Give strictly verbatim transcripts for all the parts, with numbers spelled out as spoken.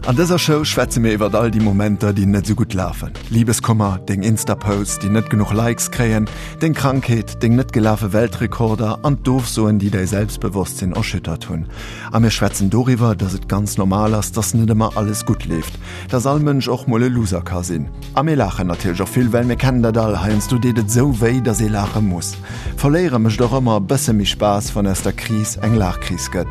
An dëser Show schwätze mir iwwer all déi Momenter, déi net sou gutt lafen. Libeskummer, deng Insta-Posts, déi net genuch Likes kréien, deng Krankheet, deng net gelafe Weltrekorder an d'Ofsoen, déi däi Selbstbewosstsinn erschüttert hunn. A mir schwätzen doriwwer, dass et ganz normal ass, dass net ëmmer alles gutt leeft, dass all Mënsch och mol e Loser ka sinn. A mir laachen natierlech och vill, well mir kennen dat all, heiansdo deet et sou wéi, dass ee laache muss. Verléiere mécht och ëmmer e bësse méi Spaass, wann aus der Kris eng Laachkris gëtt.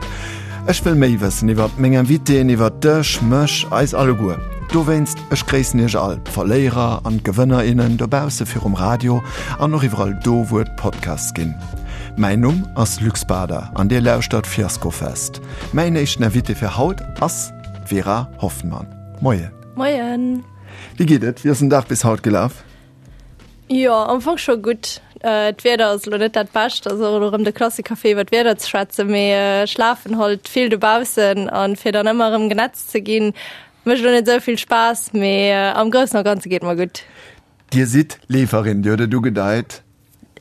Ech wëll méi wëssen iwwer meng Invitéen, iwwer dech, mech, eis alleguer. Dowéinst, ech gréissen iech all, d'Verléierer an d'Gewënner, innen dobausse virum Radio an och iwwerall do, wou et Podcasts ginn. Mäin Numm ass Luc Bader an dir lauschtert Fiaskofest. Mäin éischten Invité fir haut ass d'Vera Hoffmann. Moien. Moien. Wéi geet et? Wéi ass den Dag bis haut gelaf? Jo, am Fong scho gutt. D'Wieder ass elo net dat Bescht, ass och elo erëm de Klassiker fir iwwer d'Wieder ze schwätzen, mee ech lafen halt vill dobaussen an fir dann ëmmer erëm genetzt ze ginn, mécht elo net esou vill Spaass, mee am Groussen a Ganze geet mer gutt. Dir sidd Leeferin, Dir hutt et ugedeit.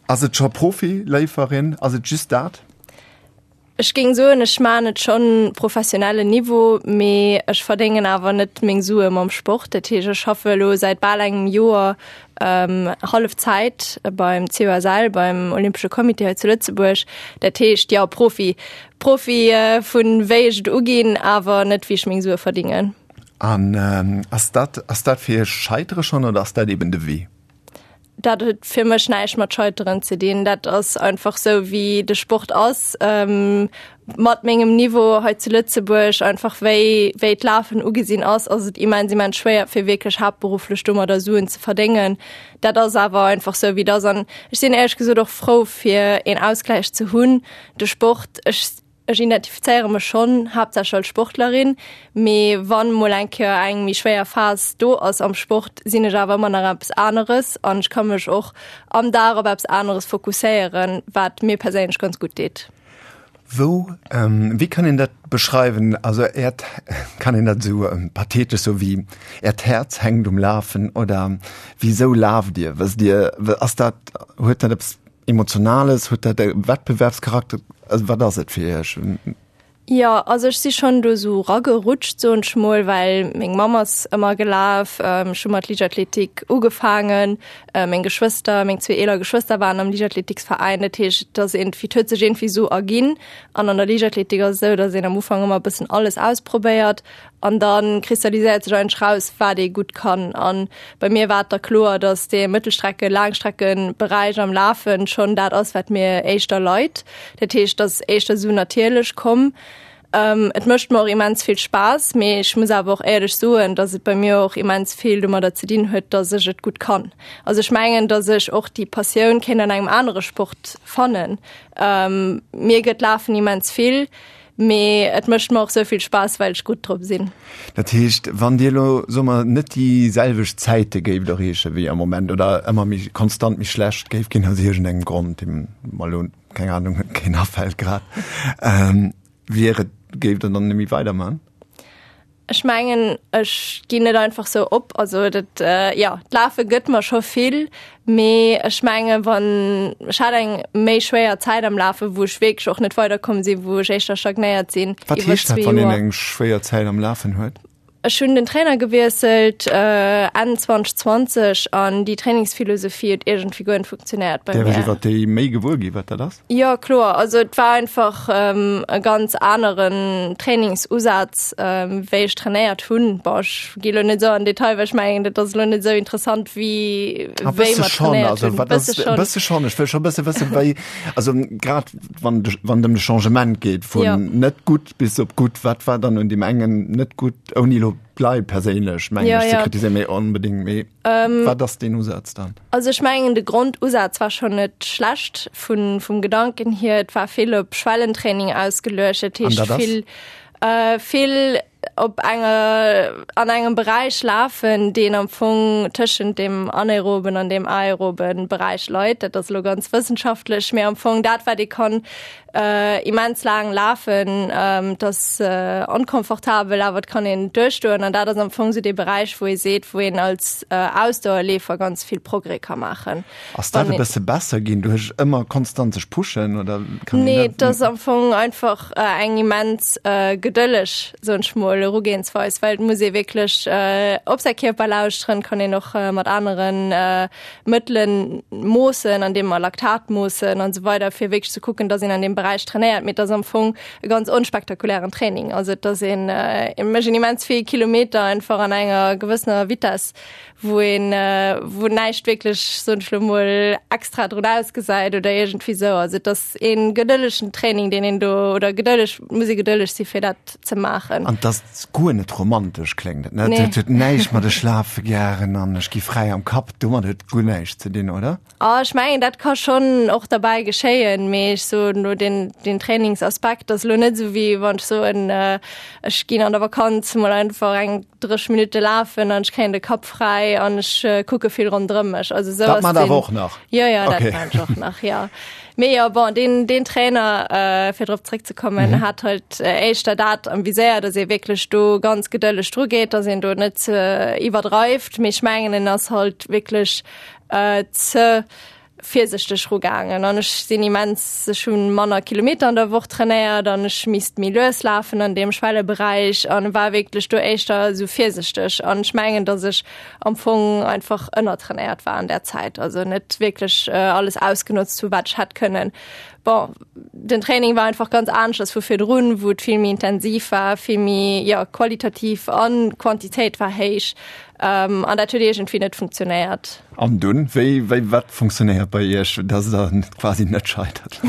Ass et scho Profi-Léiferin? Ass et just dat? Ech géing soen, ech maachen et schonn professionellen Niveau, mee ech verdéngen awer net meng Sue mam Sport. Dat heescht, ech schaffe elo säit bal engem Joer hallef Zäit beim C O S L, beim Olympesche Comité hei zu Lëtzebuerg. Dat heescht, jo, Profi. Profi vun wéi ech et uginn, awer net wéi ech meng Sue verdingen. An ass dat, ass dat fir Iech Scheitere schonn oder ass dat eben de Wee? Dat huet fir mech näischt mat Scheiteren ze dinn. Dat ass einfach sou wéi de Sport ass. Mat mengem Niveau hei zu Lëtzebuerg, einfach wéi wéi d'Lafen ugesinn ass, ass et immens immens schwéier fir wierklech haaptberufflech domadder Suen ze verdéngen. Dat ass awer einfach sou wéi et ass an ech sinn éierlech gesot och frou fir een Ausgläich ze hunn. De Sport, ech Ech identifizéiere mech schonn haaptsächlech als Sportlerin, mee wann mol eng Kéier eng méi schwéier Phas do ass am Sport, sinn ech awer ëmmer nach eppes aneres an ech ka mech och am Dag op eppes aneres fokusséieren, wat mir perséinlech ganz gutt deet. Wou, wéi kann een dat beschreiwen? Also Äert, kann een dat esou pathetesch soe wéi Äert Häerz hänkt um Lafen oder wisou laaft Dir? Wësst Dir, ass dat, huet dat eppes Emotionales, huet dat e Wettbewerbscharakter? Also wat ass et fir Iech? Jo, also ech si schonn do esou ragerutscht, soen ech mol, well meng Mamm ass ëmmer gelaf, ech hu mat Liichtathletik ugefaangen, meng Geschwëster, meng zwee eeler Geschwëster waren am Liichtathletiksveräin. Dat heescht, et ass iergendwéi, et huet sech iergendwéi esou erginn. An an der Liichtathletik ass et esou, datt een am Ufank ëmmer e bëssen alles ausprobéiert An da kristalliséiert sech eigentlech raus, wat ee gutt kann. A bei mir war et da kloer, datt dee Mëttelstrecke-, Laangstreckeberäich am Lafe schonn dat ass, wat mir éischter leit. Dat heescht, et ass éischter esou natierlech komm. Et mécht mer och immens vill Spaass, mee ech muss awer och éierlech soen, datt et bei mir och immens vill domadder ze dinn huet, datt ech et gutt kann. Also ech mengen, datt ech och déi Passioun kéint an engem anere Sport fannen. Mir gëtt Lafen immens vill. Mee et mécht mer och sou vill Spaass, well ech gutt drop sinn. Dat heescht, wann Dir elo, soe mer, net déi selwecht Zäite géift erreeche wéi am Moment oder ëmmer méi konstant méi schlecht géift ginn aus iergendengem Grond, deem mer elo, keng Anung, keen afält grad, wier et, géift Der dann net méi weiderman? Ech mengen, ech ginn net einfach sou op. Also dat, jo, d'Lafe gëtt mer scho vill, mee ech mengen, wann, ech hat eng méi schwéier Zäit am Lafen, wou ech wierklech och net weiderkomm sinn, wou ech éischter stagnéiert sinn Wat iwwer heescht dat, zwee wann een Joer. eng schwéier Zäit am Lafen huet? Ech hunn den Trainer gewiesselt Enn zwanzeg zwanzeg an déi Trainingsphilosophie huet iergendwéi guer net funktionéiert bei Däerf ech mir. iwwer déi méi gewuer ginn, wat dat ass? Jo, kloer. Also et war einfach e ganz aneren Trainingsusaz, wéi ech trainéiert hunn. Bon, ech gi lo net esou an Detail, well ech mengen, dat ass elo net esou interessant, wéi A wéi bësse mer schonn, trainéiert also hunn. wat ass, Bësse e schonn. bësse schonn. Ech wëll scho bësse wëssen, wéi, also grad wann de, wann et ëm de Changement geet vun Jo. net gutt bis op gutt, wat war dann un deem engen net gutt, ouni elo d'Leit perséinlech, mengen Jo, ech, ze jo. kritiséieren, mee onbedéngt, mee wat ass deen Usaz dann? Also ech mengen, de Grondusaz war schonn net schlecht vun, vum Gedanken hier. Et war vill op Schwellentraining ausgeluecht, dat An heescht dat ass? vill, vill op enger, an engem Beräich lafen, deen am Fong tëschent deem anaeroben an deem aeroben Beräich leit. Dat ass elo ganz wëssenschaftlech, mee am Fong dat, wat ee kann immens laang lafen, et ass onkomfortabel, awer et kann een et duerchstoen. An dat ass am Fong esou dee Beräich, wou ee seet, wou een als Ausdauerleefer ganz vill Progrès ka maachen. Ass dat e bësse besser ginn duerch ëmmer konstant sech pushen oder kann een Nee, dat? et ass am Fong einfach eng immens gedëlleg, soen ech mol, mol, Erugehensweis, well et muss ee wierklech op säi Kierper lauschteren, kann een och mat aneren Mëttelen moossen, andeem mer Laktat moossen an esou weider, fir wierklech ze kucken, dass een an deem Beräich trainéiert. Mee et ass am Fong e ganz onspektakulären Training. Also et ass een, et mécht een immens vill Kilometer einfach an enger gewëssener Vitess, wou een, wou näischt wierklech, soen ech lo mol, extra drun ausgesäit oder iergendwéi sou. Also et ass ee gedëllegen Training, deen een do, oder gedëlleg, muss ee gedëlleg si fir dat ze maachen. An et ass guer net romantesch, kléngt et, ne? Nee. Et huet näischt mat ech lafe gären an ech gi fräi am Kapp, domat huet et guer näischt ze dinn, oder? Ah, ech mengen, dat ka schonn och derbäi geschéien, mee ech soen elo, deen, deen Trainingsaspekt ass elo net esou wéi wann ech soen, ech ginn an der Vakanz mol einfach eng dréch Minutte lafen an ech kréien de Kapp fräi an ech kucke vill ronderëm mech. Also esou ass deen. Dat maacht awer och nach? Jo, jo, dat maachen ech och nach, jo. Mee jo, bon, deen, deen Trainer, fir drop zréckzekommen, hat halt éischter dat am Viséier, datt ee wierklech do ganz gedëlleg drugeet, datt een do net iwwerdreift. Mee ech mengen, en ass halt wierklech ze virsichteg rugaangen an ech sinn immens, ech hunn manner Kilometer an der Woch trainéiert an ech misst méi lues lafen an deem Schwelleberäich an war wierklech do éischter esou virsichteg an ech mengen, datt ech am Fong einfach ënnertrainéiert war an där Zäit, also net wierklech alles ausgenotzt hu wat ech hätt kënnen. Bon, den Training war einfach ganz aneschters vu virdrun, wou et vill méi intensiv war, vill méi, jo, qualitativ an Quantitéit war héich. Ähm, an dat huet iergendwéi net funktionéiert. An dunn, wéi, wéi, wat funktionéiert bei Iech, dass Der quasi net scheitert?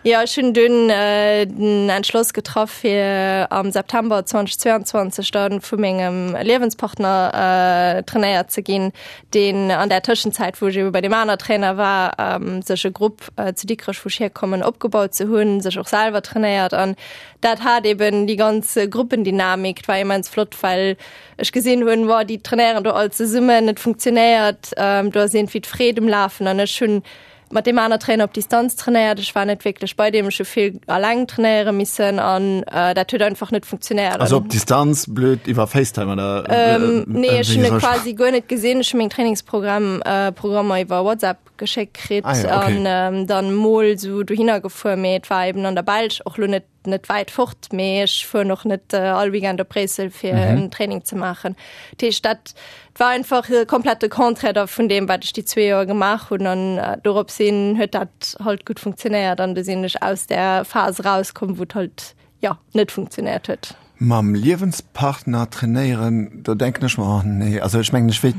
Jo, ech hunn dunn den Entschloss getraff, fir am September zweitausendzweiundzwanzeg dann vu mengem Liewenspartner trainéiert ze ginn, deen an där Tëschenzäit, wou ech ebe bei deem aner Trainer war, sech e Grupp zu Dikrech, wou ech hierkommen, opgebaut ze hunn, sech och selwer trainéiert. An dat hat eben déi ganz Gruppendynamik, war immens flott, well ech gesinn hunn, wow, déi trainéieren do all zesummen, et funktionéiert, do ass iergendwéi d'Freed um Lafen. An ech hunn mat deem aner Trainer op Distanz trainéiert, ech war net wierklech bei deem, ech hu vill alleng trainéiere missen an dat huet einfach net funktionéiert. Also op Distanz, blöd, iwwer FaceTime oder? Nee, ech hunn e quasi guer net gesinn, ech hu meng Trainingsprogramm, Programmer iwwer WhatsApp geschéckt kritt Ah ja, okay. an dann mol sou dohinner gefuer, mee et war eben an der Belsch, och lo net net wäit fort, mee ech fueren och net all Weekend op Bréissel fir en Training ze maachen. Dat heescht dat war einfach komplett de Contraire da vun deem wat ech déi zwee Joer gemaach hunn an dorops hin huet dat halt gutt funktionéiert an du sinn ech aus där Phas erauskomm, wou et halt jo net funktionéiert huet. Mam Liewenspartner trainéieren, do denken ech mer, oh nee, also ech mengen, ech wéilt,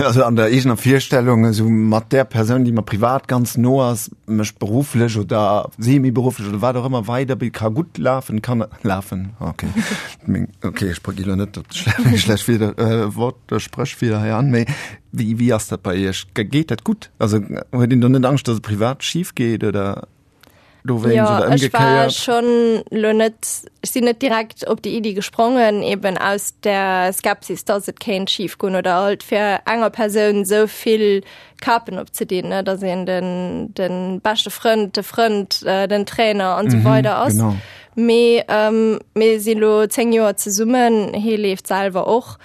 also an der eegener Virstellung, esou mat där Persoun, déi mer privat ganz no ass, mech berufflech oder semi-berufflech oder wat och ëmmer weiderbilden, ka gutt lafen, kann lafen, okay, meng, okay, ech gi lo net op meng schlecht Wieder, Wort, Spréch wieder hei an, mee wéi, wéi ass dat bei Iech? Geet dat gutt? Also huet een do net Angscht, datt et privat schif geet oder? Dowéinst ja, oder ech war schon lo net ech sinn net direkt op déi Iddi gesprongen, eben aus der Skepsis, dass et kéint schief goen oder halt fir enger Persoun sou vill Kapen opzedinn, ne, dass een den den beschte Frënd, de Frënd, äh, den Trainer an sou weider ass. Genau. Mee ähm, mir si lo zéng Joer zesummen, hie leeft selwer och.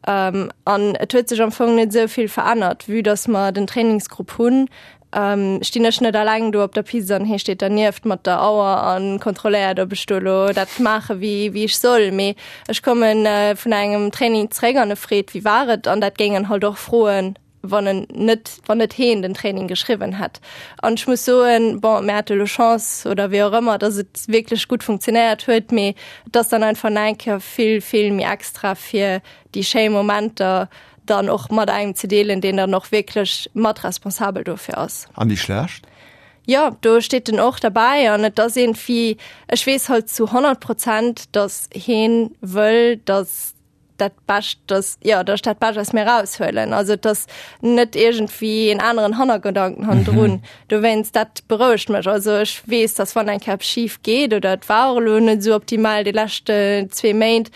Ähm, an et huet sech am Fong net sou vill verännert, vue dass mer den Trainingsgrupp hunn, Stinn ech net alleng do op der Piste an hie steet dernieft mat der Auer a kontrolléiert, ob ech do elo dat maache wéi wéi ech soll. Mee ech komme vun engem Training zréck an e freet, wéi war et? An dat géing en halt och froen, wann en net, wann net heen den Training geschriwwen hätt. An ech muss soen, bon, mir hate lo Chance oder wéi och ëmmer, datt et wierklech gutt funktionéiert huet, mee et ass dann einfach nach eng Kéier vill, vill méi extra fir déi schéi Momenter dann och mat engem ze deelen, deen dann och wierklech mat responsabel dofir ass. An déi schlecht? Jo, do steet en och derbäi an et ass iergendwéi, ech weess halt zu honnert Prozent, datt heen wëll, datt dat Bescht, datt, jo, datt ech dat Bescht aus mir eraushuelen. Also et ass net iergendwéi en aneren Hannergedanken hannendrun. Dowéinst, dat berouegt mech. Also ech weess, datt wann eng Kéier eppes schif geet oder et war och elo net esou optimal déi lescht zwee Méint,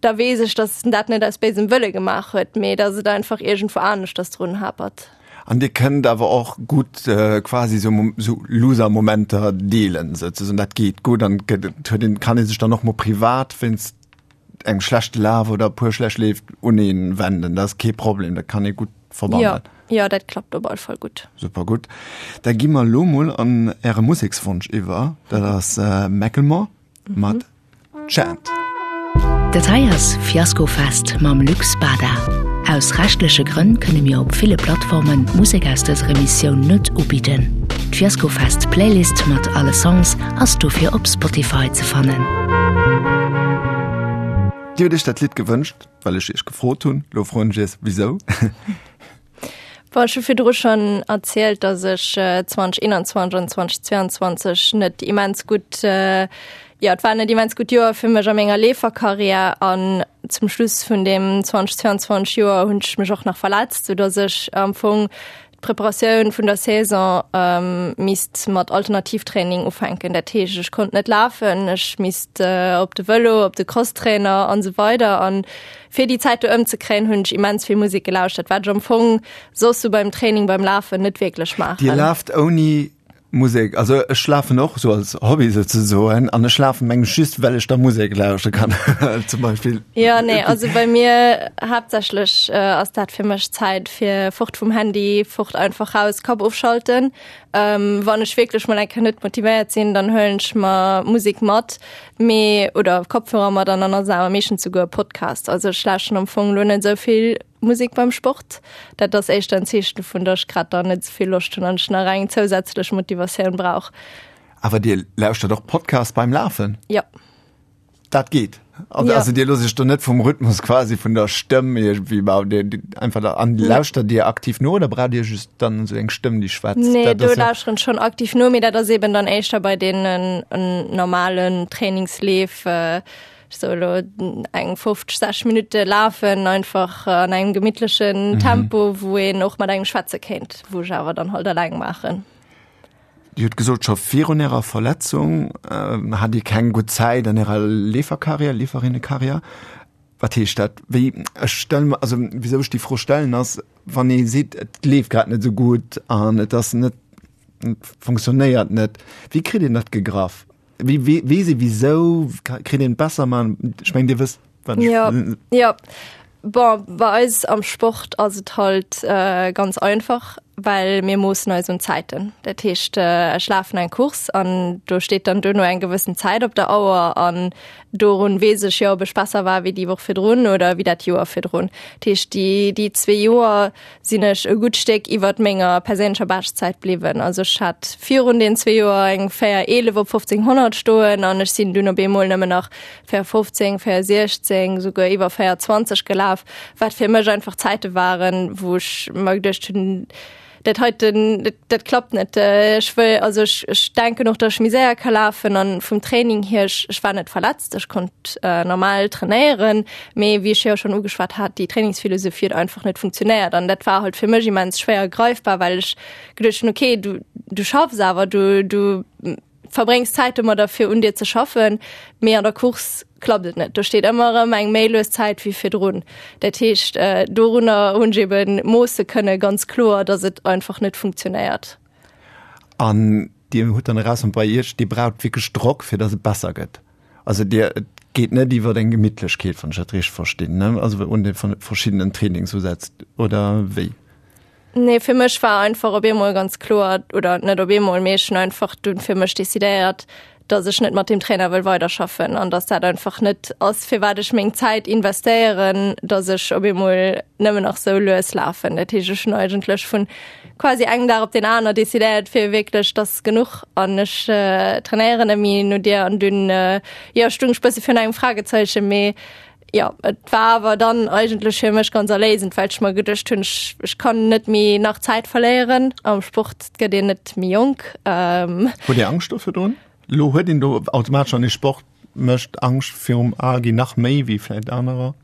da weess ech, dass en dat net aus béisem Wëlle gemaach huet, mee dass et einfach iergendwou aneschters drun hapert. An Dir kënnt awer och gutt quasi sou sou Loser-Momenter deelen souzesoen, dat geet gutt an gëtt et huet een, kann ee sech dann och mol privat wéinst engem schlechte Laf oder e puer schlecht Leef un een wenden, dat ass kee Problem, dat kann ee gutt verbannen. Jo, jo, dat klappt op alle Fall gutt. Super gutt. Da gi mer elo mol an Äre Musekswonsch iwwer, dat ass Macklemore mat Chant. Dat hei ass Fiaskofest mam Luc Spada. Aus rechtleche Grënn kënne mir op ville Plattformen d'Musek aus dëser Emissioun net ubidden. D'Fiaskofest Playlist mat alle Songs ass dofir op Spotify ze fannen. Dir hutt iech dat Lidd gewënscht, well ech iech gefrot hunn. Lo froen ech iech, wisou? Bon, ech hu virdru schonn erzielt, dass ech zwanzeg eenanzwanzeg an zwanzeg zweiundzwanzeg net immens gutt, jo, et war net immens gutt Joer fir mech a menger Leeferkarriär an zum Schluss vun deem zwanzeg zweiundzwanzeg Joer hunn ech mech och nach verletzt, soudass ech am Fong d'Preparatioun vun der Saison misst mat Alternativtraining ufänken. Dat heescht, ech konnt net lafen, ech misst op de Vëlo, op de Crosstrainer an esou weider. An fir déi Zäit do ëmzekréien, hunn ech immens vill Musek gelauschtert, wat ech am Fong soss sou beim Training, beim Lafen net wierklech maachen. Dir laaft ouni Musek? Also ech lafen och sou als Hobby souzesoen an ech lafen mengen ech just well ech da Musek lauschte kann zum Beispill. Jo, nee, also bei mir haaptsächlech ass dat fir mech Zäit fir fort vum Handy, fort einfach raus, Kapp ofschalten. Wann ech wierklech mol eng Kéier net motivéiert sinn, dann huelen ech mer Musek mat, mee oder Kopfhörer mat an dann ass et awer meeschtens souguer e Podcast. Also ech lauschten am Fong lo net esou vill Musek beim Sport. Dat ass éischter en Zeechen dovun, datt ech grad dann net esou vill Loscht hunn an ech nach eng zousätzlech Motivatioun brauch. Awer Dir lauschtert och Podcast beim Lafen? Jo. Dat geet? Also, Ja. also Dir loosst Iech do net vum Rhythmus quasi vun der Stëmm iergendwéi ma Dir einfach da an lauschtert Dir aktiv no oder braucht Dir just dann esou eng Stëmm déi schwätzt? Nee, Dat do ass jo. lauschteren ech schonn aktiv no, mee dat ass eben dann éischter bei deenen normalen Trainingsleef. Ech soe lo eng fofzeg, sechzeg Minutte lafen, einfach an engem gemittlechen Tempo, wou een och mat engem schwätze kéint, wou ech awer dann halt eleng maachen. Dir hutt gesot, scho virun Ärer Verletzung hat Dir keng gutt Zäit an Ärer Leeferkarriär, Leeferinnekarriär. Wat heescht dat? Wéi, ech stelle mer, also wisou ech déi Fro stellen ass, wann ee seet, et leeft grad net esou gutt an et ass net, et funktionéiert net, wéi kritt een dat gegraff? Wéi, wéi, weess ee wisou? Kritt een et besser man? Ech mengen, Dir wësst, wat ech. Jo, jo. Bon, bei eis am Sport ass et halt ganz einfach, well mir moossen eis un Zäiten. Dat heescht, ech lafen eng Course an do steet dann duerno eng gewëssen Zäit op der Auer an dorun weess ech jo, ob ech besser war wéi déi Woch virdrun oder wéi dat Joer virdrun. Dat heescht, déi, déi zwee Joer sinn ech e gutt Stéck iwwert menger perséinlecher Beschtzäit bliwwen. Also ech hat virun den zwee Joer eng véier eelef op fofzénghonnert stoen an ech sinn dunn op eemol nëmmen nach véier fofzéng, véier siechzéng, souguer iwwer véier zwanzeg gelaf, wat fir mech einfach Zäite waren, wou ech mer geduecht hunn, dat heiten, dat, dat klappt net. Ech wëll, also ech, ech denken och, datt ech méi séier ka lafen an vum Training hier, ech, ech war net verletzt, ech konnt normal trainéieren, mee wéi ech jo schonn ugeschwat hat, déi Trainingsphilosophie huet einfach net funktionéiert an dat war halt fir mech immens schwéier greifbar, well ech geduecht hunn, okay, du, du schaffs awer, du, du verbréngs Zäit domadder fir un dir ze schaffen, mee an der Course klappt et net. Do steet ëmmer erëm eng méi lues Zäit wéi virdrun. Dat heescht, dorunner hunn ech eben moosse kënne ganz kloer, datt et einfach net funktionéiert. An Dir hutt dann erausfonnt bei Iech, Dir braucht wierklech Drock, fir datt et besser gëtt. Also Dir, et geet net iwwer eng Gemittlechkeet, wann ech dat richteg verstinn, ne? Also un de verschiddenen Trainingsusätz oder wéi? Nee, fir mech war einfach op eemol ganz kloer, oder net op eemol, mee ech hunn einfach dunn fir mech decidéiert, dass ech net mat deem Trainer wëll weiderschaffen an dass dat einfach net ass, firwat ech meng Zäit investéieren, dass ech op eemol nëmmen nach sou lues lafen. Dat heescht, ech hunn eigentlech vun quasi engem Dag op deen aner decidéiert, fir wierklech, dass genuch an ech trainéieren net méi no dir an dunn, jo, stung ech bësse virun engem Fragezeichen, mee Jo, et war awer dann eigentlech fir mech ganz erléisend, well ech mer geduecht hunn, ech, ech kann net méi nach Zäit verléieren. Am Sport gëtt een net méi jonk. Hutt Dir Angscht do virdrun? Elo huet een do automatesch, wann ee Sport mécht, Angscht virum al ginn, nach méi wéi vläicht anerer?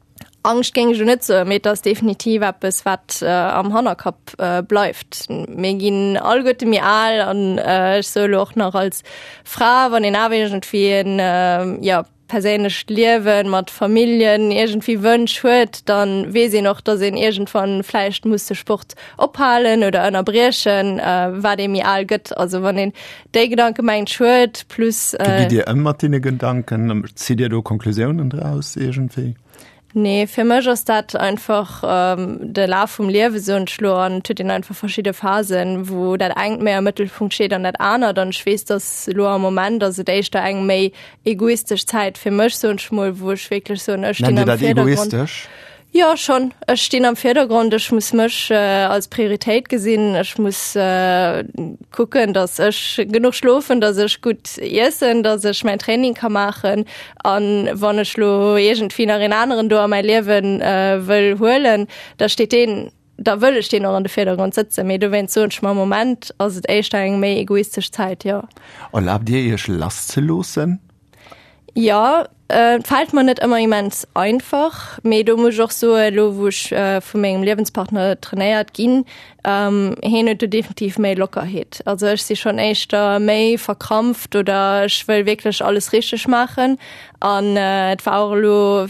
Angscht géing ech elo net soen, mee et ass definitiv eppes, wat am Hannerkapp bleift. Mir ginn alleguerte méi al an ech soe elo och nach als Fra, wann een awer iergendwéi en, jo, perséinlecht Liewen, mat Familljen iergendwéi Wënsch huet, dann weess een och, dass een iergendwann vläicht muss de Sport ophalen oder ënnerbriechen, wat ee méi al gëtt. Also wann een déi Gedanke mengt ech huet, plus. Wéi gitt Dir ëm mat deene Gedanken? Zitt Dir do Konklusiounen draus iergendwéi? Nee, fir mech ass dat einfach ähm, de Laf vum Liewe soen ech lo an et huet een einfach verschidde Phasen, wou dat engt méi am Mëttelpunkt steet an dat anert an ech weess, dass lo am Moment ass et éischter eng méi egoistesch Zäit fir mech soen ech mol, wou ech wierklech soen, ech Nennt stinn Dir am dat Virdergrond. egoistesch? Jo, schonn. Ech stinn am Virdergrond, ech muss mech als Prioritéit gesinn, ech muss kucken, datt ech genuch schlofen, datt ech gutt iessen, datt ech mäin Training ka maachen. An wann ech lo iergendwéi nach een aneren do a mäi Liewen wëll huelen, da steet deen, da wëll ech deen och an de Virdergrond sëtzen. Mee dowéinst soen ech mer, am Moment ass et éischter eng méi egoistesch Zäit, jo. Erlaabt Dir Iech lasszeloossen? Jo, et fält mer net ëmmer immens einfach, mee do muss ech och soen, elo wou ech vu mengem Liewenspartner trainéiert ginn, hien huet do definitiv méi Lockerheet. Also ech si schonn éischter méi verkrampft oder ech wëll wierklech alles richteg maachen an et war och elo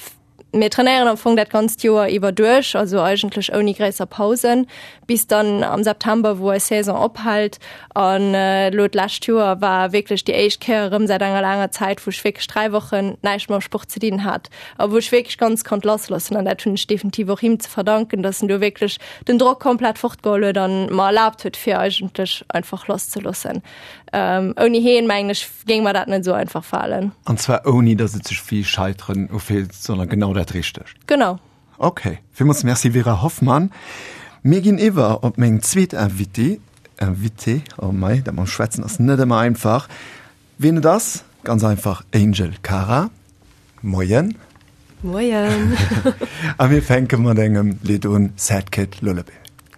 Mir trainéieren am Fong dat ganzt Joer iwwer duerch, also eigentlech ouni gréisser Pausen, bis dann am September, wou eis Saison ophält. An elo d'lescht Joer war wierklech déi éischt Kéier erëm säit enger laanger Zäit, wou ech wierklech dräi Wochen näischt mam Sport ze dinn hat a wou ech wierklech ganz konnt lassloossen. An dat hunn ech definitiv och him ze verdanken, dass en do wierklech den Drock komplett fortgeholl huet an mer erlaabt huet, fir eigentlech einfach lasszeloossen. Ouni heen, mengen ech, géing mer dat net esou einfach falen. An zwar ouni, dass et sech wéi Scheiteren ufillt, sondern genau dat Richtegt. Genau. Ok, villmools Merci Vera Hoffmann. Mir ginn iwwer op meng zweet Invitée, Invitée, oh mei, dat mam Schwätzen ass net ëmmer einfach. Wien et ass? Ganz einfach, Angel Cara. Moien. Moien. A mir fänke mat engem Lidd un, Sad Kid Lullaby.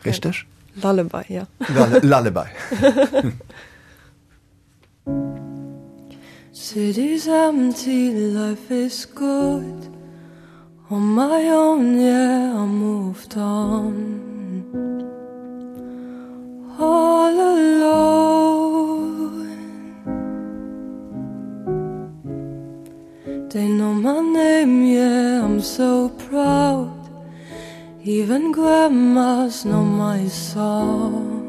Richteg? Lullaby, ja. Lullaby. City's empty, life is good On my own, yeah, I moved on All alone They know my name, yeah, I'm so proud Even grandmas know my song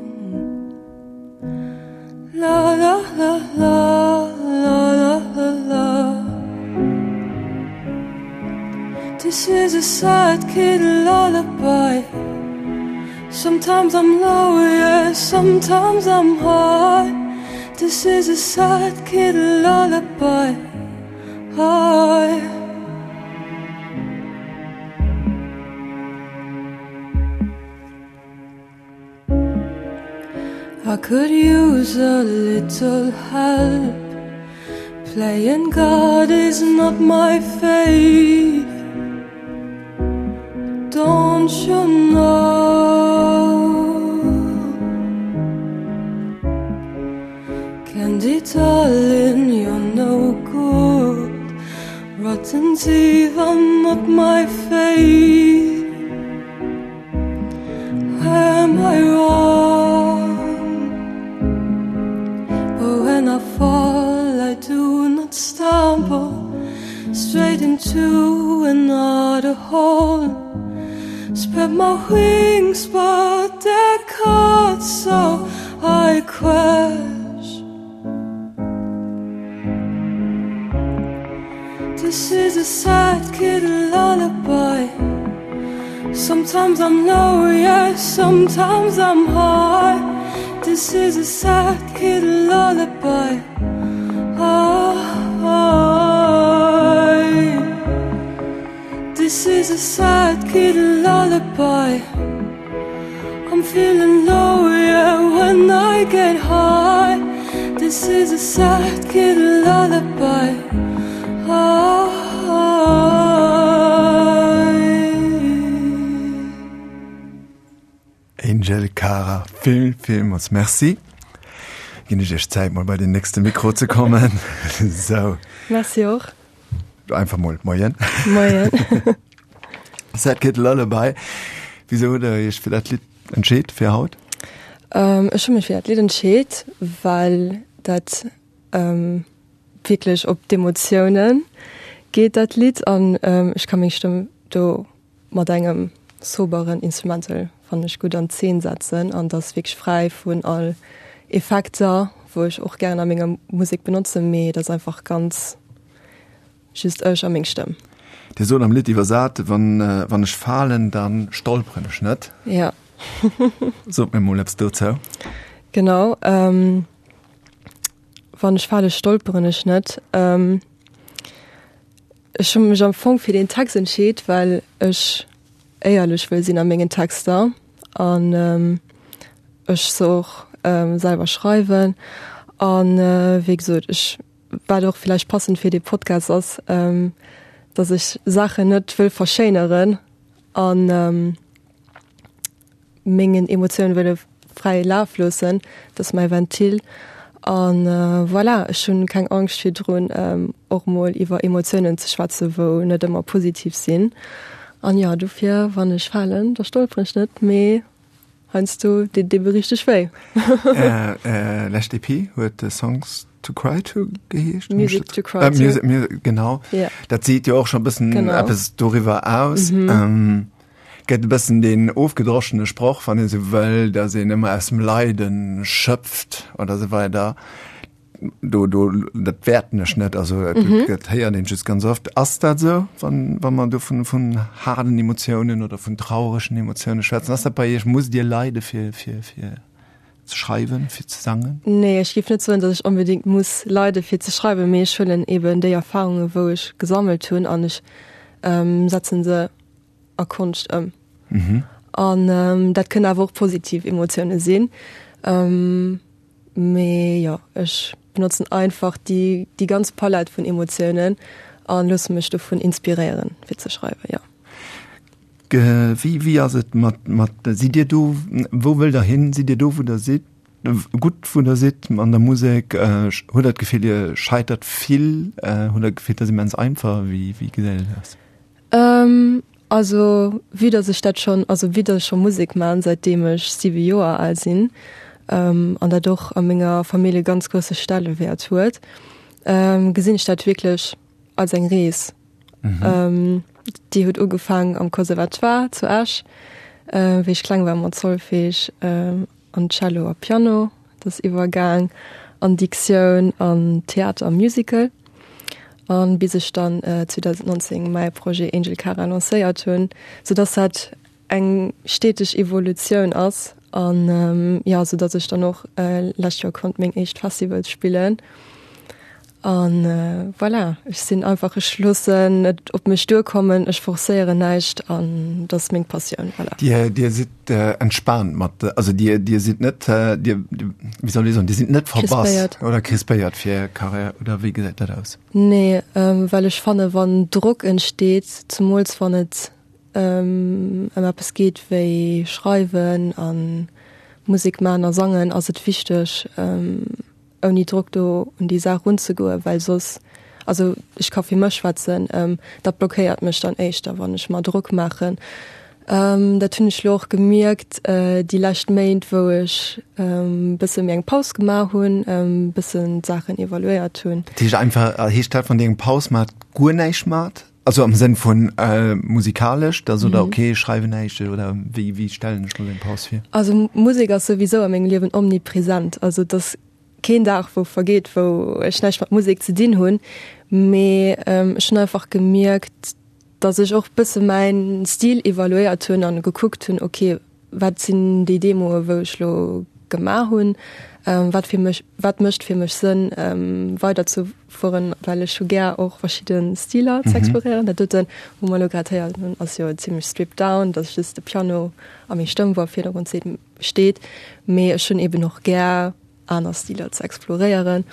La la la la la la la la This is a sad kid lullaby Sometimes I'm low, yeah, sometimes I'm high This is a sad kid lullaby High I could use a little help Playing God is not my fave Don't you know Candy darling, you're no good Rotten teeth are not my fave Am I wrong? But when I fall I do not stumble Straight into another hole Spread my wings but they're cut so I crash This is a sad kid lullaby Sometimes I'm low, yeah, sometimes I'm high This is a sad kid lullaby ah, This is a sad kid lullaby I'm feeling low, yeah, when I get high This is a sad kid lullaby ah, Angel Cara, vill, villmools Merci. Ginn ech Iech Zäit mol bei den nächste Mikro ze kommen. Sou. Merci och. Einfach mol Moien. Moien. Sad Kid Lullaby. Wisou hutt Der Iech fir dat Lidd entscheet fir haut? Ech hu mech fir dat Lidd entscheet, well dat wierklech op d'Emotioune geet, dat Lidd, an ech ka meng Stëmm do mat engem soberen Instrumental, fannen ech, gutt an Zeen setzen an dat ass wierklech fräi vun all Effekter, wou ech och gären a menger Musek benotzen, mee dat ass einfach ganz just ech a meng Stëmm. Dir sot am Lidd iwwersat, wann, wann ech falen, dann stolperen ech net. Ja. Sot mir mol eppes dozou. Genau. Ähm, wann ech fale stolperen ech net. Ähm, ech hu mech am Fong fir den Text entscheet, well ech éierlech wëll sinn a mengen Texter an ähm, ech se och ähm, selwer schreiwen an äh, wéi gesot ech wat och villäicht passend fir dee Podcast ass, ähm, dass ech Saachen net wëll verschéineren an ähm, mengen Emotiounen wëlle fräie Laf loossen, dat ass mäi Ventil an äh, voilà, ech hunn keng Angscht virdrun ähm, och mol iwwer Emotiounen ze schwätzen, wou net ëmmer positiv sinn an jo, dofir wann ech falen, da stolperen ech net, mee heiansdo deet et ebe richteg wéi. Är äh, lescht EP huet Songs to Cry to geheescht? Music to Cry Äh, to. Music, Music, genau. Ja. Dat seet jo och scho bëssen Genau. eppes doriwwer aus. Mhm. Ähm, gëtt e bëssen den ofgedroschene Sproch, wann ee sou wëll, dass een ëmmer aus dem Leiden schöpft oder sou weider. Do, do, dat wäerten ech net, also mhm. dat héiert een just ganz oft. Ass dat sou, wann, wann man do vun, vun haarden Emotiounen oder vun trauregen Emotiounen schwätzen? Ass dat bei Iech, musst Dir leide fir, fir, fir ze schreiwen, fir ze sangen? Nee, ech géif net soen, datt ech onbedéngt muss leide fir ze schreiwen, mee ech huelen eben déi Erfahrungen, wou ech gesammelt hunn an ech ähm, setzen se a Konscht ëm. Mhm. An ähm, dat kënnen awer och positiv Emotioune sinn. Ähm, mee jo, ech benotzen einfach déi, déi ganz Palett vun Emotiounen an loosse mech dovun inspiréieren fir ze schreiwen, jo. Ge, wéi, wéi ass et mat, mat, sidd Dir do, wou wëllt Der hin? Sidd Dir do, wou Der sidd? Gutt, wou Der sidd an der Musek? Äh, hutt Der d'Gefill, Dir scheitert vill? Äh, hutt Der d'Gefill, dat ass immens einfach? Wéi, wéi gesäit et aus? Ähm, also vue dass ech dat schonn, also vue dass ech scho Musek man säitdeem ech siwe Joer al sinn, ähm, an dat och a menger Famill e ganz grousse Stellewäert huet, ähm, gesinn ech dat wierklech als eng Rees. Mhm. Ähm, déi huet ugefaang am Conservatoire zu Esch, äh, wéi ech kleng war mat Solfège, ähm, an Cello a Piano, dat ass iwwergaang an Diktioun an Theater a Musical. An bis ech dann äh, zweedausendnonzéng mäi Projet Angel Cara lancéiert hunn, soudass dat eng steteg Evolutioun ass an ähm, ja, soudass ech dann och äh, lescht Joer konnt meng éischt Festivals spillen. An äh, voilà, ech sinn einfach, ech loossen et op mech duerkommen, ech forcéieren näischt an dat ass meng Passioun, voilà. Dir, Dir sidd äh, entspaant mat, also Dir, Dir sidd net, äh, Dir, wéi soll ech soen, Dir sidd net verbass Crispéiert. oder crispéiert fir Karriär oder wéi gesäit dat aus? Nee, ähm, well ech fanne wann Drock entsteet, zemools wann et ähm, ëm eppes geet wéi schreiwen an Musek man a sangen, ass et wichteg ähm, ouni Drock do un déi Saach runzegoen, well soss, also ech ka fir mech schwätzen, ähm, dat blockéiert mech dann éischter, wann ech mer Drock maachen. Ähm, dat hunn ech lo och gemierkt äh, déi lescht Méint, wou ech ähm, bësse méi eng Paus gemaach hunn, ähm, bëssen d'Saachen evaluéiert hunn. Dat heescht einfach, heescht dat, wann Dir eng Paus maacht, guer näischt maacht? Also am Sënn vun äh, musikalesch, da sot Der, okay, ech schreiwen näischt oder wéi, wéi stellen ech mer sou eng Paus vir? Also Musek ass souwisou a mengem Liewen omnipresent, also et ass keen Dag wou vergeet, wou ech näischt mat Musek ze dinn hunn, mee ähm, ech hunn einfach gemierkt, dass ech och bësse mäin Stil evaluéiert hunn an gekuckt hunn, okay, wat sinn déi Demoe wou ech lo gemaach hunn, ähm, wat fir mech, wat mécht fir mech Sënn ähm, weider ze fueren, well ech hu gär och verschidde Stiler ze exploréieren. Dat doten, wou mer lo grad héieren hunn, ass jo zimmlech stripped down, dat ass just de Piano a meng Stëmm, wou am Virdergrond steet, mee ech hunn eben och gär aner Stiler ze exploréieren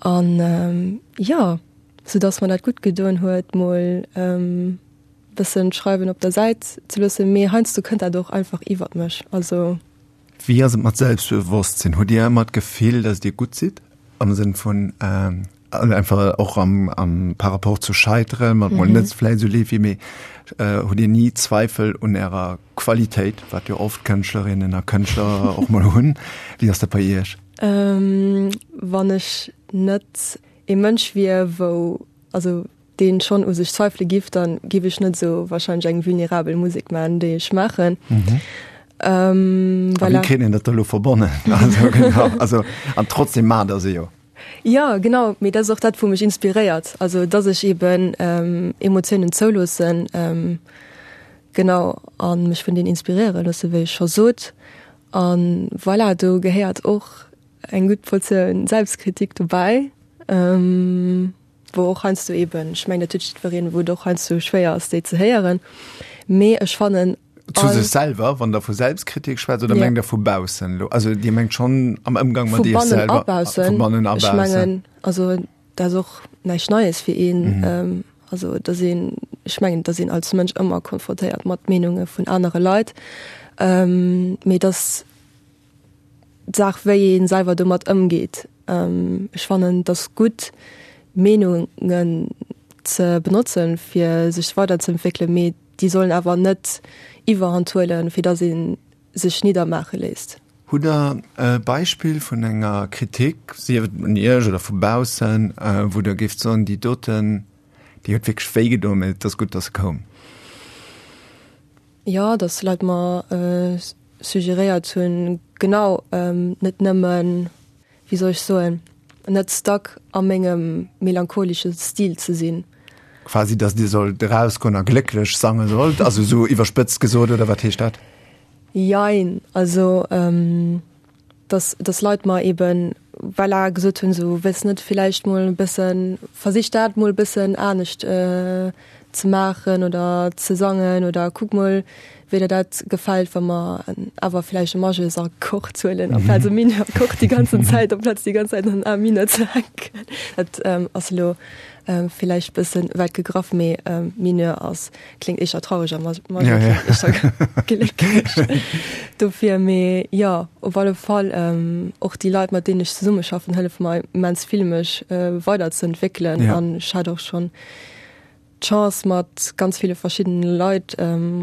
an ähm, jo, sou dass mer dat gutt gedoen huet, mol ähm, bëssen d'Schreiwen op der Säit ze loossen, mee heiansdo kënnt dat och einfach iwwert mech, also. Wéi ass et mat Selbstbewosstsinn? Hutt Dir ëmmer d'Gefill, dass Dir gutt sidd am Sënn vun ähm, einfach och am, am par rapport zu scheiteren, mat mol net vläicht esou leeft wéi, mee äh, hutt Dir ni Zweifel un Ärer Qualitéit, wat jo oft Kënschtlerinnen a Kënschtler och mol hunn? Wéi ass dat bei Iech? Ähm, wann ech net ee Mënsch wier, wou, also deen schonn u sech zweifele giff, dann giff ech net esou wahrscheinlech eng vulnerabel Musek maachen, déi ech maachen. Mhm. Ähm, A wéi voilà. kritt een dat da lo verbonnen? Also genau, also an trotzdem maacht Der se jo. Jo, genau, mee dat ass och dat, wou mech inspiréiert, also dass ech eben Emotiounen zouloossen, genau, a mech vun deenen inspiréiere loossen, wéi ech scho sot. A voilà, do gehéiert och eng gutt Portioun Selbstkritik dobäi, wou och heiansdo eben, ech mengen, dat huet jiddwereen, wou et och heiansdo schwéier ass, déi ze héieren, mee ech fannen, Zu sech selwer, wann der vu Selbstkritik schwätzt, oder mengt der vu baussen elo? Also Dir mengt schonn am Ëmgang mat Iech selwer? Vu bannen a baussen. Vu bannen a baussen. Ech mengen, also dat ass och näischt Neies fir een. Also datt een, ech mengen, datt een als Mënsch ëmmer konfrontéiert mat Meenunge vun anere Leit, mee datt d'Saach wéi ee selwer domat ëmgeet. Ech fannen, et ass gutt Meenungen ze benotzen, fir sech weiderzeentwéckelen, mee déi sollen awer net Iwwerhand huelen, fir datt ee sech niddermaache léisst. Hutt Der e Beispill vun enger Kritik, sief et un Iech oder vu baussen, wou Der géift soen, déi doten, déi huet wierklech wéi gedoen, mä et ass gutt, datt se koum? Jo, datt Leit mer suggeréiert hunn, genau, net nëmmen, wéi soll ech soen, net stuck a mengem melancholesche Stil ze sinn. Quasi, dass Dir sollt erausgoen a glécklech sange sollt, also esou iwwerspëtzt gesot, oder wat heescht dat? Jein, also dass, dass Leit mer eben, voilà, gesot hunn, esou, wëlls net villäicht mol e bëssen, versich dat mol e bëssen anescht ze maachen oder ze sangen oder kuck mol, wéi der dat gefält, wa mer awer villäicht e Majeurs-Akkord huelen amplaz e Mineur-Akkord déi ganzen Zäit, amplaz déi ganz Zäit an A-Mineur ze hänken. Dat ass elo villäicht bëssen wäit gegraff, mee Mineur ass, kléngt éischter traureg a Majeur kléngt éischter glécklech. Dofir, mee jo, op alle Fall och déi Leit, mat deenen ech zesummeschaffen, hëllefe mer immens vill, mech weiderzeentwéckelen an ech hat och schonn d'Chance mat ganz ville verschiddene Leit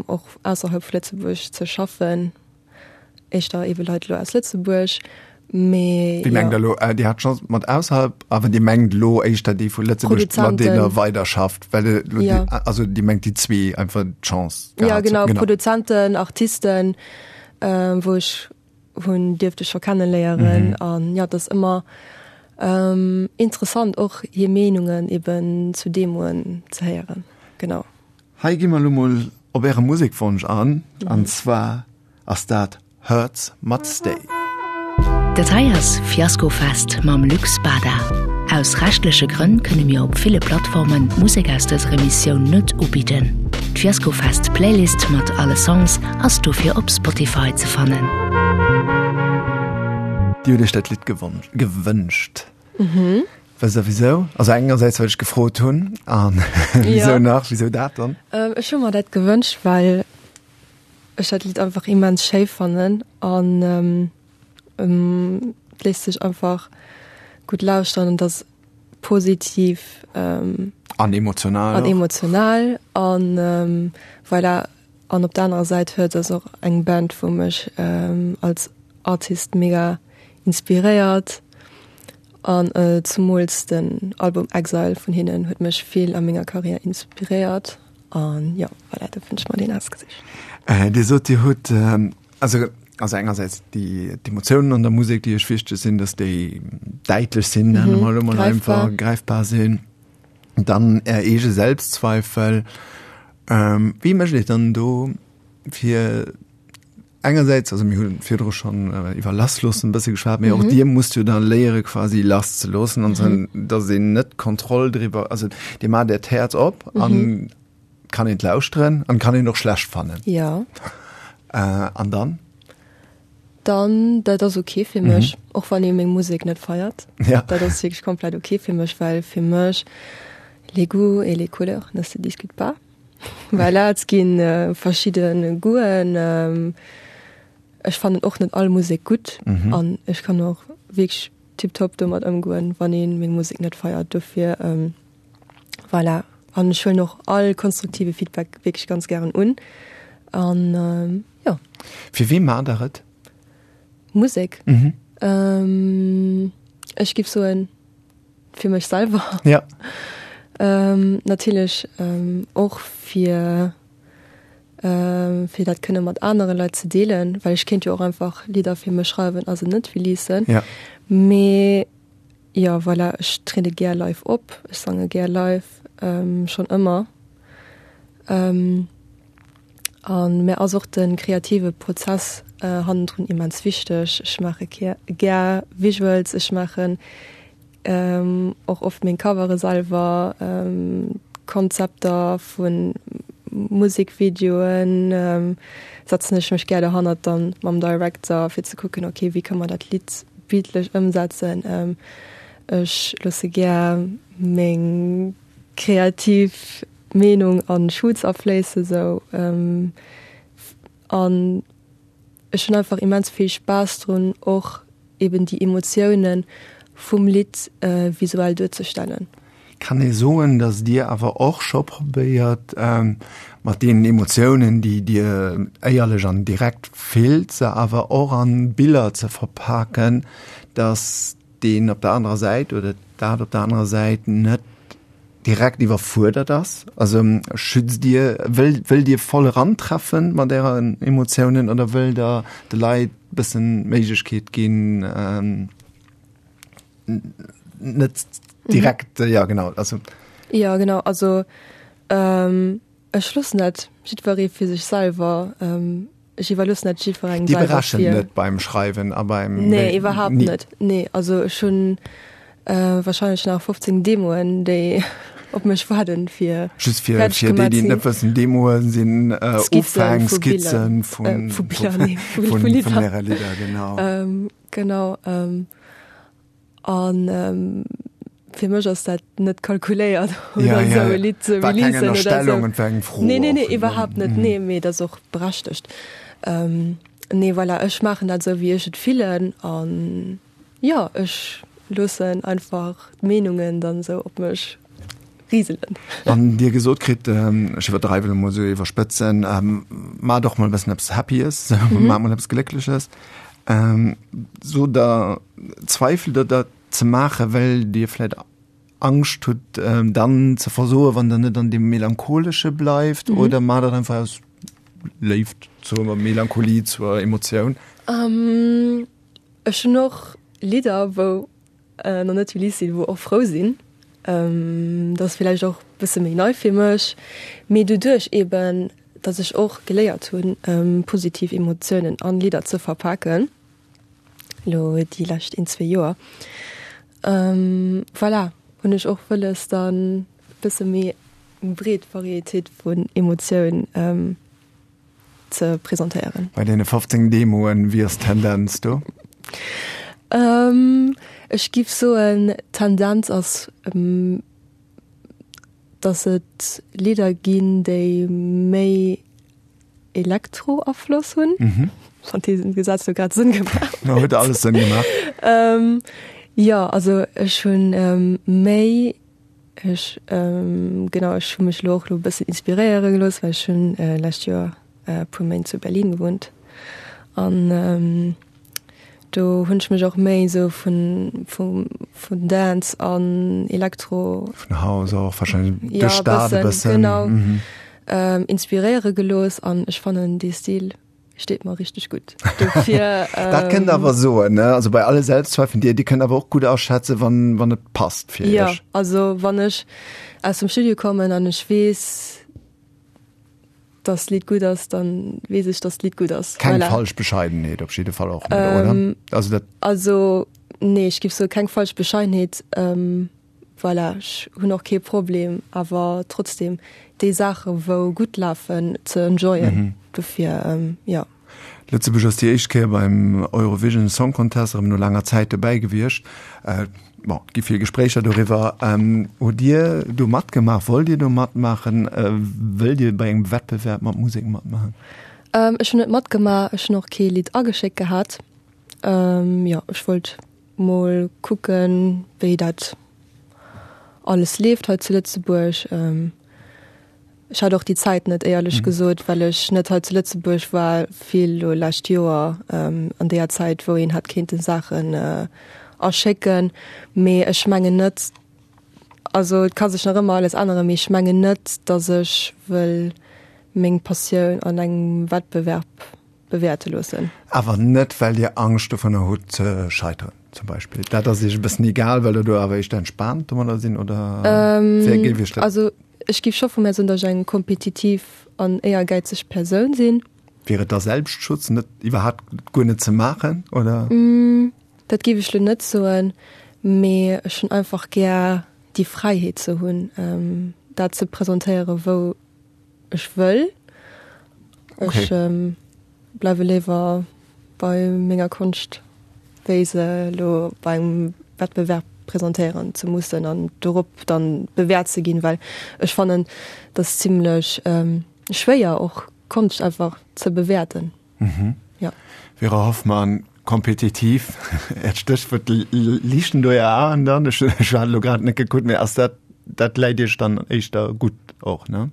och ausserhalb vu Lëtzebuerg ze schaffen, éischter ebe Leit elo aus Lëtzebuerg, mee Wéi mengt jo. Der elo, Dir hat d'Chance mat ausserhalb, awer Dir mengt elo éischter déi vu Lëtzebuerg, mat deenen Der Produzenten. weiderschafft, well Der elo déi, Jo. also Dir mengt déi zwee einfach d'Chance Jo, gehat, genau, genau. Produzenten, Artisten, wou ech hunn dierfte scho kenneléieren an jo, et ass ëmmer interessant och hir Meenungen eben zu Demoen ze héieren, genau. Hei gi mer elo mol op äre Musekwonsch an, an zwar ass dat Hurts mat Stay. Dat hei ass Fiaskofest mam Luc Spada. Aus rechtleche Grënn kënne mir op ville Plattformen d'Musek aus dëser Emissioun net ubidden. D'Fiaskofest Playlist mat alle Songs ass dofir op Spotify ze fannen. Dir hutt Iech dat Lidd gewënscht. Wësst Der wisou? Also engersäits well ech gefrot hunn an wisou nach? Wisou dat dann? Ech hu mer dat gewënscht, well ech dat Lidd einfach immens schéi fannen an et léisst sech einfach gutt lauschteren an et ass positiv an emotional an emotional an voilà. An op der anerer Säit huet ass och eng Band wou mech als Artist mega inspiréiert an zemools den Album Exile vun hinnen huet mech vill a menger Karriär inspiréiert an jo voilà dofir hunn ech mer deen ausgesicht. Dir sot Dir hutt also also engersäits déi d'Emotiounen an der Musek déi Iech wichteg sinn, datt déi däitlech sinn, nenne mer elo mol einfach, gräifbar sinn, dann Är eege Selbstzweifel. Wéi mécht Dir dann do fir engersäits, also mir hu virdru schonn iwwer lassloossen e bësse geschwat, mee och Dir musst jo da léiere quasi lasszeloossen an ze, datt een net d'Kontroll driwwer, also Dir maacht Äert Häerz op an kann een et lauschteren an kann een och schlecht fannen. Jo. An dann? Dann, dat ass ok fir mech, och wann ee meng Musek net feiert. Ja. Dat ass wierklech komplett ok fir mech, well fir mech les goûts et les couleurs ne se discutent pas. Voilà, et gi verschidde Goûten. Ech fannen och net all Musek gutt an ech kann och wierklech tiptop domat ëmgoen, wann ee meng Musek net feiert. Dofir voilà. An ech huelen och all konstruktive Feedback wierklech ganz gären un. An jo. Fir wee maacht Der et? Musek? Mhm. Ech giff soen fir mech selwer. Ja. Natierlech och fir fir dat kënne mat anere Leit ze deelen, well ech kéint jo och einfach Lidder fir mech schreiwen a se net releasen. Ja. Mee Jo, voilà, ech triede gär live op, ech sange gär live, schonn ëmmer. A mär ass och de kreative Prozess hannendrun immens wichteg. Ech maache gär Visuals, ech maachen och oft meng Covere selwer, Konzepter vu Musekvideoen setzen ech mech gär dohannert dann mam Director fir ze kucken, ok, wéi ka mer dat Lidd bildlech ëmsetzen. Ech loosse gär meng kreativ Meenung an Shoots afléissen sou an ech hunn einfach immens vill Spaass drun och eben déi Emotiounen vum Lidd visuell duerzestellen. Kann ee soen, datt Dir awer och scho probéiert, mat deenen Emotiounen, déi Dir éierlech an direkt fillt, se awer och an Biller ze verpaken, datt deen op der anerer Säit oder dat op der anerer Säit net direkt iwwerfuerdert ass? Also schützt Dir, wëllt, wëllt Dir voll erantreffen mat Ären Emotiounen oder wëllt Der de Leit bëssen d'Méiglechkeet ginn, net direkt mhm. ja genau also ja genau also ähm, ech loossen dat jiddweree fir sech selwer ähm, ech iwwerloossen dat jiddwerengem Déi selwer berechen fir net beim Schreiwen a beim Nee, iwwerhaapt nie. net. Nee, also ech hunn äh, wahrscheinlech nach fofzéng Demoen, déi op mech waarden, fir Just fir, fertig fir déi, gemaach déi ze net sinn. wëssen, Demoe sinn äh, Skizzen Ufäng, vu Biller, Skizzen äh, vun, vu Biller, nee, vu, vun, vu vun Lidder. äre Lidder, genau. Ähm, genau. Ähm, An fir mech ass dat net kalkuléiert oder esou e Lidd ze War keng releasen oder esou. Ënnerstellung und war eng Fro Nee, nee, nee, och. iwwerhaapt net. Nee, mee dat ass och berechtegt. Nee, voilà, ech maachen dat esou, wéi ech et fillen an jo, ech loossen einfach d'Meenungen dann esou op mech riselen. Wann Dir gesot kritt, ech iwwerdreiwen elo mol esou, iwwerspëtzen, Maacht och mol e bëssen eppes Happyes, maacht mol eppes Gléckleches, Sot Der, zweifelt Der dat ze maachen, well Dir vläit Angscht hutt, dann ze versoen, wann Der net an deem Melancholesche bleift, oder maacht Der dat einfach aus Léift zur Melancholie, zur Emotioun? Ech hunn och Lidder, wou nach net released sinn, wou och frou sinn. Dat ass villäicht och e bësse méi nei fir mech, mee doduerch eeben, datt ech och geléiert hunn, positiv Emotiounen an Lidder ze verpaken, elo déi lescht een, zwee Joer, voilà, hunn ech och wëlles dann e bësse méi eng breet Varietéit vun Emotioun ze presentéieren. Bei deene fofzéng Demoen, wéi ass d'Tendenz do? Ech giff soen, d'Tendenz ass, dass et Lidder ginn, déi méi Elektro-Afloss hunn. Wann dee Gesaz lo grad Sënn gemaach huet. No, huet alles Sënn gemaach. Jo, also ech hunn méi, ech, genau, ech hu mech lo och lo e bëssen inspiréiere gelooss, well ech hunn lescht Joer e puer Méint zu Berlin gewunnt an do hunn ech mech och méi esou vun vum vun Dance an Elektro Vun House och wahrscheinlech, ja, duerch d'Stad e bëssen, bëssen. genau, inspiréiere gelooss an ech fannen dee Stil steet mer richteg gutt. Dofir Dat kënnt awer soen, ne? Also bei alle Selbstzweifeln, Dir, Dir kënnt awer och gutt aschätzen, wann wann et passt fir Ja, Iech. also wann ech aus dem Studio kommen an ech weess, dass d'Lidd gutt ass, dann weess ech, dass d'Lidd gutt ass. Keng Voilà. falsch Bescheidenheet op jidde Fall och net, oder? Ähm, Also dat. Also nee, ech giff soe keng falsch Bescheidenheet. Ähm, voilà, ech hunn och kee Problem awer trotzdem déi Saache wou gutt lafen ze enjoyen. Dofir ähm, jo. Lëtzebuerg ass déi éischt Kéier beim Eurovision Song Contest erëm no laanger Zäit dobäi gewiescht. Bon, et gi vill Gespréicher doriwwer. Hutt Dir do matgemaach? Wollt Dir do matmaachen? Wëllt Dir bei engem Wettbewerb mat Musek matmaachen? Ech hunn net matgemaach, ech hunn och kee Lidd ageschéckt gehat. Jo, ech wollt mol kucken, wéi dat alles leeft hei zu Lëtzebuerg. Ech hat och déi Zäit net, éierlech gesot, well ech net hei zu Lëtzebuerg war, vill elo lescht Joer an deeër Zäit, wou een hätt kéinte Saachen aschécken. Mee ech mengen net, also et ka sech nach ëmmer alles änneren, mee ech mengen net, datt ech wëll meng Passioun an engem Wettbewerb bewäerte loossen. Awer net, well Dir Angscht dovunner hutt ze scheiteren? zum Beispill. Dat ass Iech e bëssen egal, well Der do awer éischter entspaant domadder sinn, oder wéi géif Iech dat? Also ech géif scho vu mär soen, datt ech eng kompetitiv an éiergäizeg Persoun sinn. Wier et da Selbstschutz, net iwwerhaapt guer net ze maachen, oder? Dat géif ech lo net soen, mee ech hunn einfach gär déi Fräiheet ze hunn, dat ze presentéieren, wou ech wëll. Ech bleiwe léiwer bei menger Konscht, wéi se elo bei engem Wettbewerb presentéieren ze mussen an dorop dann bewäert ze ginn, well ech fannen, dat ass zimlech schwéier och Konscht einfach ze bewäerten. Jo. Vera Hoffmann, Kompetitiv, Äert Stéchwuert, liichten do Är Aen dann? Ech hat elo grad net gekuckt, mee ass dat, dat läit Iech dann éischter gutt och, ne?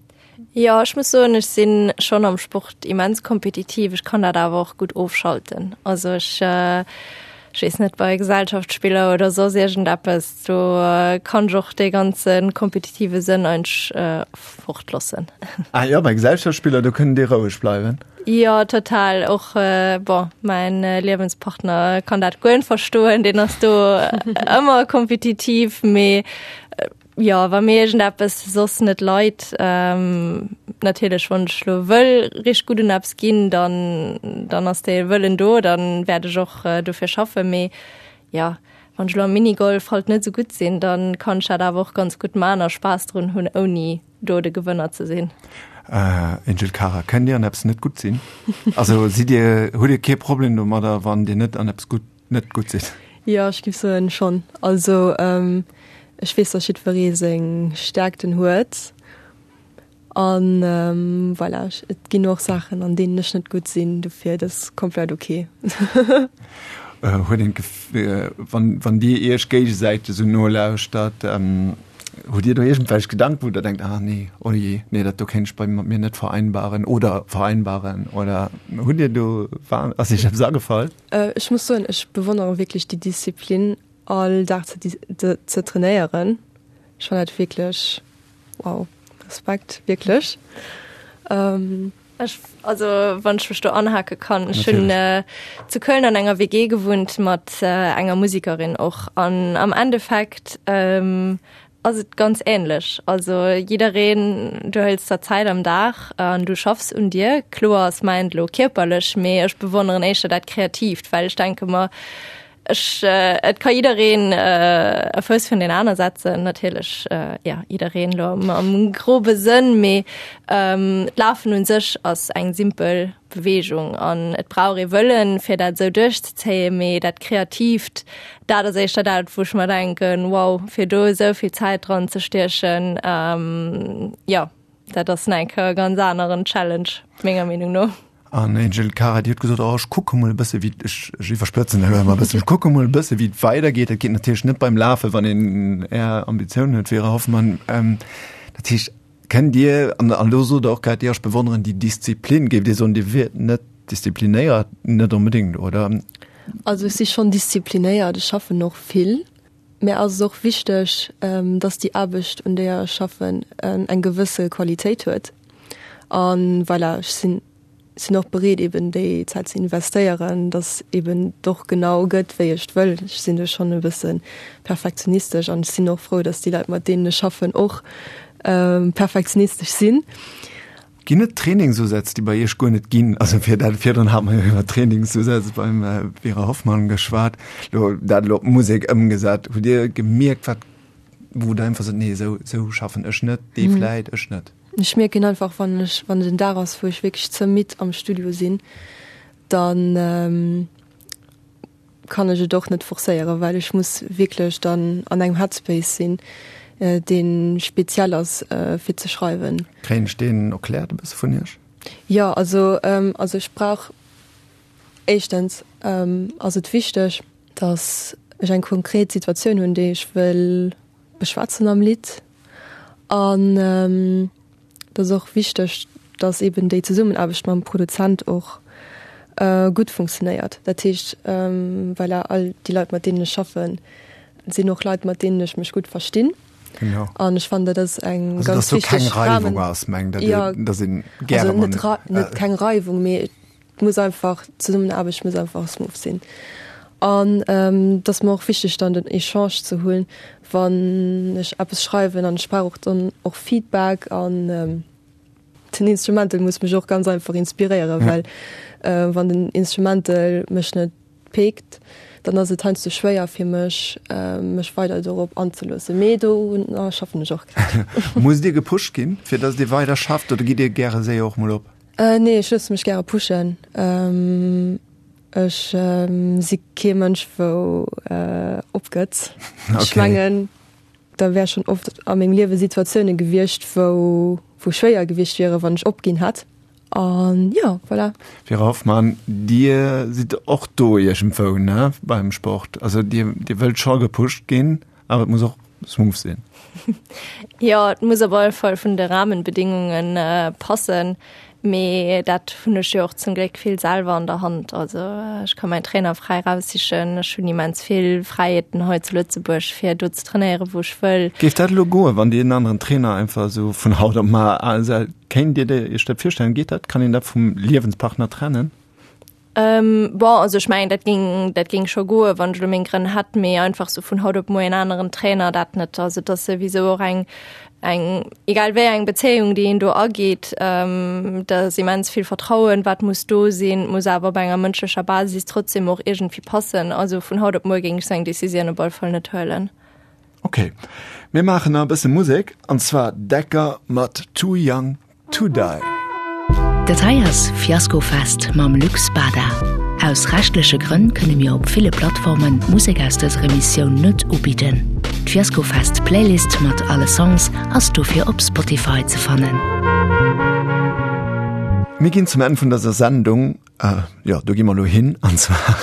Jo, ech muss soen, ech si schonn am Sport immens kompetitiv. Ech kann dat awer och gutt ofschalten. Also ech, ech weess net, bei Gesellschaftsspiller oder soss iergendeppes, do kann ech och dee ganze kompetitive Sënn eigentlech fortloossen. Ah jo, bei Gesellschaftsspiller, do kënnt Dir roueg bleiwen? Jo, total. Och, bon, mäin Liewenspartner kann dat guer net verstoen, deen ass do ëmmer kompetitiv, mee jo, wa mir iergendeppes soss net leit, natierlech wann ech lo wëll richteg gutt un eppes ginn, dann, dann ass dee Wëllen do, dann wäert ech och dofir schaffen, mee jo, wann ech lo am Minigolf halt net esou gutt sinn, dann kann ech dat awer och ganz gutt man a Spaass drun hunn, ouni do de Gewënner ze sinn. Angel Cara, kënnt Dir an eppes net gutt sinn? Also sidd Dir, hutt Dir kee Problem domadder, wann Dir net an eppes gutt, net gutt sidd? Jo, ech géif soen, schonn. Also ech weess, datt jiddweree seng Stäerkten huet an voilà, et ginn och Saachen, an deenen ech net gutt sinn, dofir dat ass komplett ok. Huet een d'Gef-, wann, wann Dir Iech géigesäiteg esou nolauschtert, hutt Dir do iergendwelch Gedanken, wou Der denkt, ah nee, oh jee, nee, dat do kéint ech bei mir net vereinbaren oder vereinbaren oder hutt Dir do, war, ass Iech eppes agefall? Ech muss soen, ech bewonnere wierklech déi Disziplin, all Dag ze, ze trainéieren. Ech fannen dat wierklech, wow, Respekt, wierklech. Ech, also wann ech mech do anhake kann, ech hunn zu Köln an enger W G gewunnt mat enger Musikerin och an am Endeffekt ass et ganz ähnlech. Also jiddereen, du hëls der Zäit am Dag an du schaffs un dir. Kloer ass mäint elo kierperlech, mee ech bewonneren éischter dat Kreatiivt, well ech denke mer, ech, et ka jiddereen e Fouss virun deen aner setzen, natierlech, jo, jiddereen elo am, am grobe Sënn, mee d'Lafen un sech ass eng simpel Beweegung an et brauch ee Wëllen, fir dat esou duerchzezéien, mee dat Kreatiivt, dat ass éischter dat, wou ech mer denken, wow, fir do esou vill Zäit dran ze stiechen, jo, dat ass nach eng Kéier e ganz aneren Challenge, menger Meenung no. An Angel Cara, Dir hutt gesot, oh, ech kucke mol e bësse wéi, ech, ech iwwerspëtzen elo emol e bëssen, ech kucke mol e bësse wéi et weidergeet. Dat geet natierlech net beim Lafen, wann een Är Ambitiounen huet, Vera Hoffmann. Dat heescht, kënnt Dir, an elo sot Der och grad, jo, ech bewonneren déi Disziplin, géift Dir soen, Dir wiert net disziplinéiert? Net onbedéngt, oder? Also ech si schonn disziplinéiert, ech schaffen och vill. Mär ass et och wichteg, dass déi Aarbecht, un deeër ech schaffen, eng gewësse Qualitéit huet. A voilà, ech sinn sinn och bereet eben déi Zäit ze investéieren, dass eben et och genau gëtt wéi ech et wëll. Ech sinn do schonn e bësse perfektionistesch an ech sinn och frou, dass déi Leit mat deenen ech schaffen och perfektionistesch sinn. Ginn et Trainingsusätz, déi bei Iech guer net ginn? Also fir dat, virdrun hate mer jo iwwer Trainingsusätz beim Vera Hoffmann geschwat, lo dat elo op d'Musek ëmgesat. Hutt Dir gemierkt, wat, wou Der einfach sot, nee esou, esou schaffen ech net, dee vläit, ech net? Ech mierken einfach, wann ech, wann et en Dag ass, wou ech wierklech ze midd am Studio sinn, dann kann ech et och net forcéieren, well ech muss wierklech dann an engem Headspace sinn, dee speziell ass fir ze schreiwen. Kréien ech deen erkläert e bësse vun Iech? Jo, also, also ech brauch éischtens ass et wichteg, datt ech eng konkret Situatioun hunn, déi ech wëll beschwätzen am Lidd. An et ass och wichteg, dass eben déi Zesummenaarbecht mam Produzent och gutt funktionéiert. Dat heescht, voilà, all déi Leit, mat deenen ech schaffen, sinn och Leit, mat deenen ech mech gutt verstinn. Genau. An ech fannen, dat ass eng Also, ganz dass do keng wichteg Reiwung Rahmen. ass, mengt Der, Ja, dass een gäre also net mat Rei-, net keng Reiwung, mee et muss einfach, d'Zesummenaarbecht muss einfach smooth sinn. An et ass mer och wichteg dann den Echange ze hunn, wann ech eppes schreiwen an ech brauch och dann och Feedback an den Instrumental muss mech och ganz einfach inspiréieren, well wann den Instrumental mech net peekt, dann ass et heiansdo schwéier fir mech, mech weider dorop anzeloossen. Mee do schaffen ech och grad. Musst Dir gepusht ginn, fir datt Dir weider schafft oder gitt Dir gäre séier och mol op? Nee, ech loosse mech gäre pushen. Ech si kee Mënsch wou opgëtt. Ech mengen da wär schonn oft a mengem Liewe Situatioune gewiescht, wou wou schwéier gewiescht wiere wann ech opginn hätt. An jo, voilà. Vera Hoffmann, Dir sidd och do iergendwou, ne, beim Sport. Also Dir Dir wëllt scho gepusht ginn, awer et muss och smooth sinn. Jo, et muss op alle Fall vun de Rahmenbedingungen passen. Mee dat hunn ech jo och zum Gléck vill selwer an der Hand. Also ech ka mäin Trainer fräi raussichen. Ech hunn immens vill Fräiheeten hei zu Lëtzebuerg, fir do ze trainéieren, wou ech wëll. Géif dat elo goen, wann Dir en aneren Trainer einfach esou vun haut op mar Kéint Dir Iech dat virstellen? Geet dat? Kann een dat vum Liewenspartner trennen? Bon, also ech mengen, dat géing, dat géing scho goen, wann ech elo meng Grënn hätt, mee einfach sou vun haut op muer en aneren Trainer, dat net. Also et ass souwisou och eng, eng, egal wéi eng Bezéiung, déi een do ageet, da ass immens vill Vertrauen, wat muss do sinn, muss awer op enger mënschlecher Basis trotzdem och iergendwéi passen. Also vun haut op muer géing ech sou eng Decisioun op alle Fall net huelen. Ok, mir maachen nach e bësse Musek, an zwar Decker mat Too Young To Die. Dat hei ass Fiaskofest mam Luc Spada. Aus rechtleche Grënn kënne mir op ville Plattformen d'Musek aus dëser Emissioun net ubidden. D'Fiaskofest Playlist mat alle Songs ass dofir op Spotify ze fannen. Mir ginn zum Enn vun dëser Sendung, jo do gi mer elo hin, an zwar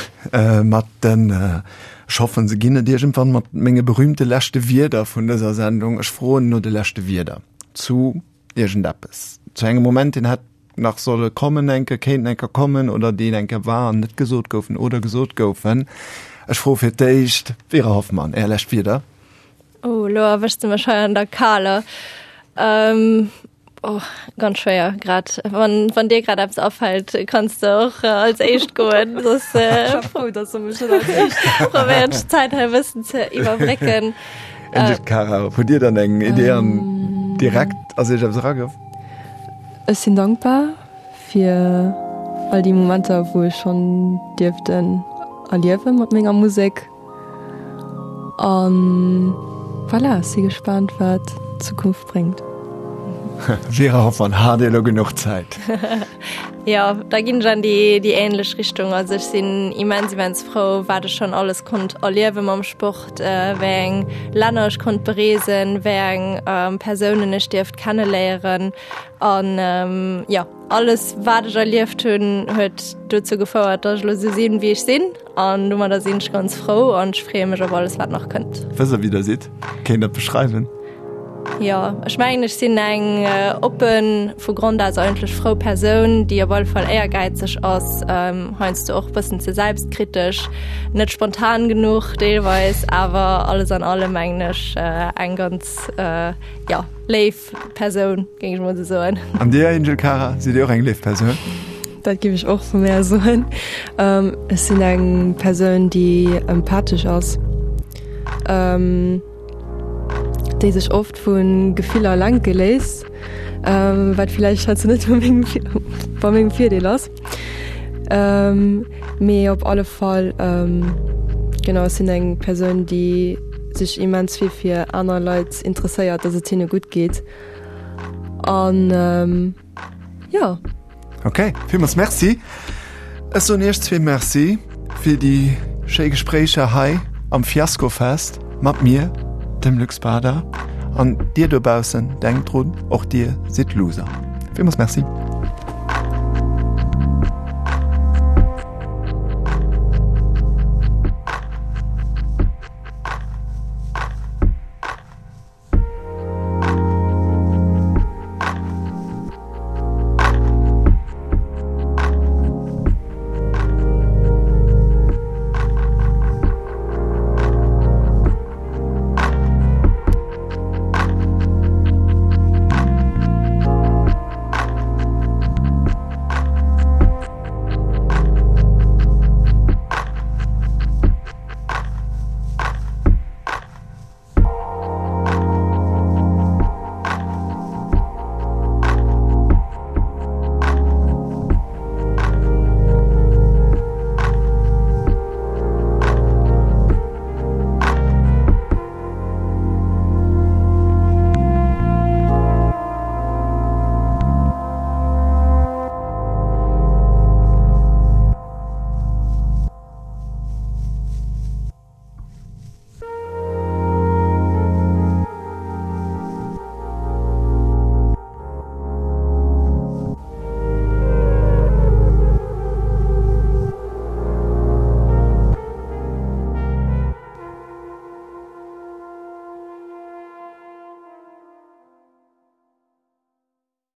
mat den, ech hoffen se ginn et iergendwann, mat menge berühmte leschte Wierder vun dëser Sendung. Ech froen no de leschte Wierder zu iergendeppes, zu engem Moment, deen hätt nach solle kommen enke, kéinten enker kommen oder deen enker war an net gesot goufen oder gesot goufen. Ech froe fir d'éischt, Vera Hoffmann, Är lescht Wierder. Oh, elo erwëschs de mech hei an der Kaler. Oh, ganz schwéier grad. Wann, wann dir grad eppes afält, kanns de och als éischt goen. Soss Ech war frou, dass de mech net als éischt probéieren ech d'Zäit hei e bëssen ze iwwerbrécken. Angel Cara, hutt Dir dann eng Idee an direkt ass Iech eppes eragouf? Ech sinn dankbar fir all déi Momenter, wou ech schonn dierften erliewe mat menger Musek. An voilà, ech si gespaant, wat d'Zukunft bréngt. Vera Hoffmann, Hat Dir elo genuch Zäit? Jo, da ginn ech an déi déi ähnlech Richtung. Also ech sinn immens, immens frou, wat ech schonn alles konnt erliewe mam Sport, wéi eng Länner ech konnt bereesen, wéi eng Persounen ech dierft kenneléieren. An jo, alles wat ech erlieft hunn, huet dozou gefouert, datt ech elo esou sinn, wéi ech sinn. An domadder sinn ech ganz frou an ech freeë mech op alles, wat nach kënnt. Wësst Der, wéi Der sidd? Kéint Der beschreiwen? Jo, ech mengen ech sinn eng oppen, vu Grond aus eigentlech frou Persoun, déi op alle Fall éiergäizeg ass, heiansdo och bëssen ze selbstkritesch, net spontan genuch deelweis, awer alles an allem mengen ech eng ganz, jo, léif Persoun, géing ech mol esou soen. An dir, Angel Cara, sidd Dir och eng léif Persoun? Dat géif ech och vu mär soen. Ech sinn eng Persoun, déi empathesch ass. Déi sech oft vu Gefiller lenke léisst, wat villäicht heiansdo net bei mengem Virdeel ass. Mee op alle Fall, genau, ech sinn eng Persoun, déi sech immens vill fir aner Leit interesséiert, dass et hinne gutt geet an. Jo. Ok, villmools Merci. Ech soen iech zwee Merci fir déi schéi Gespréicher hei am Fiaskofest mat mir, dem Luc Spada. An dir dobaussen, denkt drun, och dir sidd Loser. Villmools Merci.